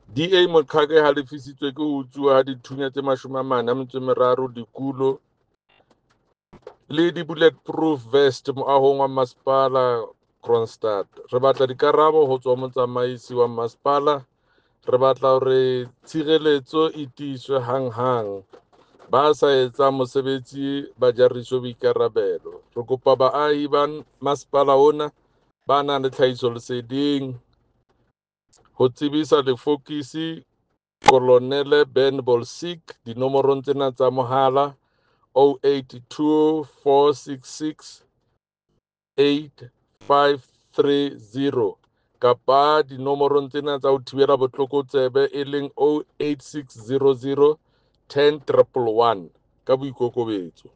DA Moqhaka e halefisitswe ke ho utsuwa ha dithunya tse 43, dikulo le di-bullet proof vest moahong wa masepala Kroonstad. Re batla dikarabo ho tswa ho motsamaisi wa masepala. Re batla hore tshireletso e tiiswe hanghang. Ba sa etsang mosebetsi ba jariswe boikarabelo. Re kopa baahi ba masepala ona ba nang le tlhahisoleseding ho tsebisa lefokisi Kolonele Ben Bolsiek dinomorong tsena tsa mohala 082 466 8530 kapa dinomorong tsena tsa ho thibela botlokotsebe e leng 08600 10 111 ka boikokobetso.